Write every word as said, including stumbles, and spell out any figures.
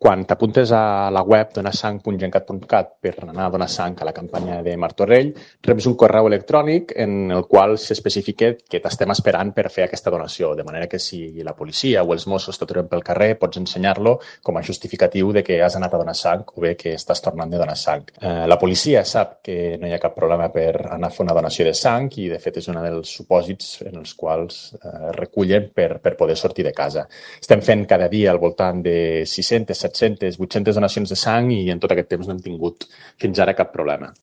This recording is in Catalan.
quan t'apuntes a la web donasang punt gencat punt cat per anar a donar sang a la campanya de Martorell, reps un correu electrònic en el qual s'especifica que t'estem esperant per fer aquesta donació, de manera que si la policia o els Mossos t'aturen pel carrer pots ensenyar-lo com a justificatiu de que has anat a donar sang o bé que estàs tornant de donar sang. Eh, la policia sap que no hi ha cap problema per anar a fer una donació de sang i, de fet, és un dels supòsits en els quals eh, recullen per, per poder sortir de casa. Estem fent cada dia al voltant de sis-centes, set-centes, vuit-centes donacions de sang i en tot aquest temps no hem tingut fins ara cap problema.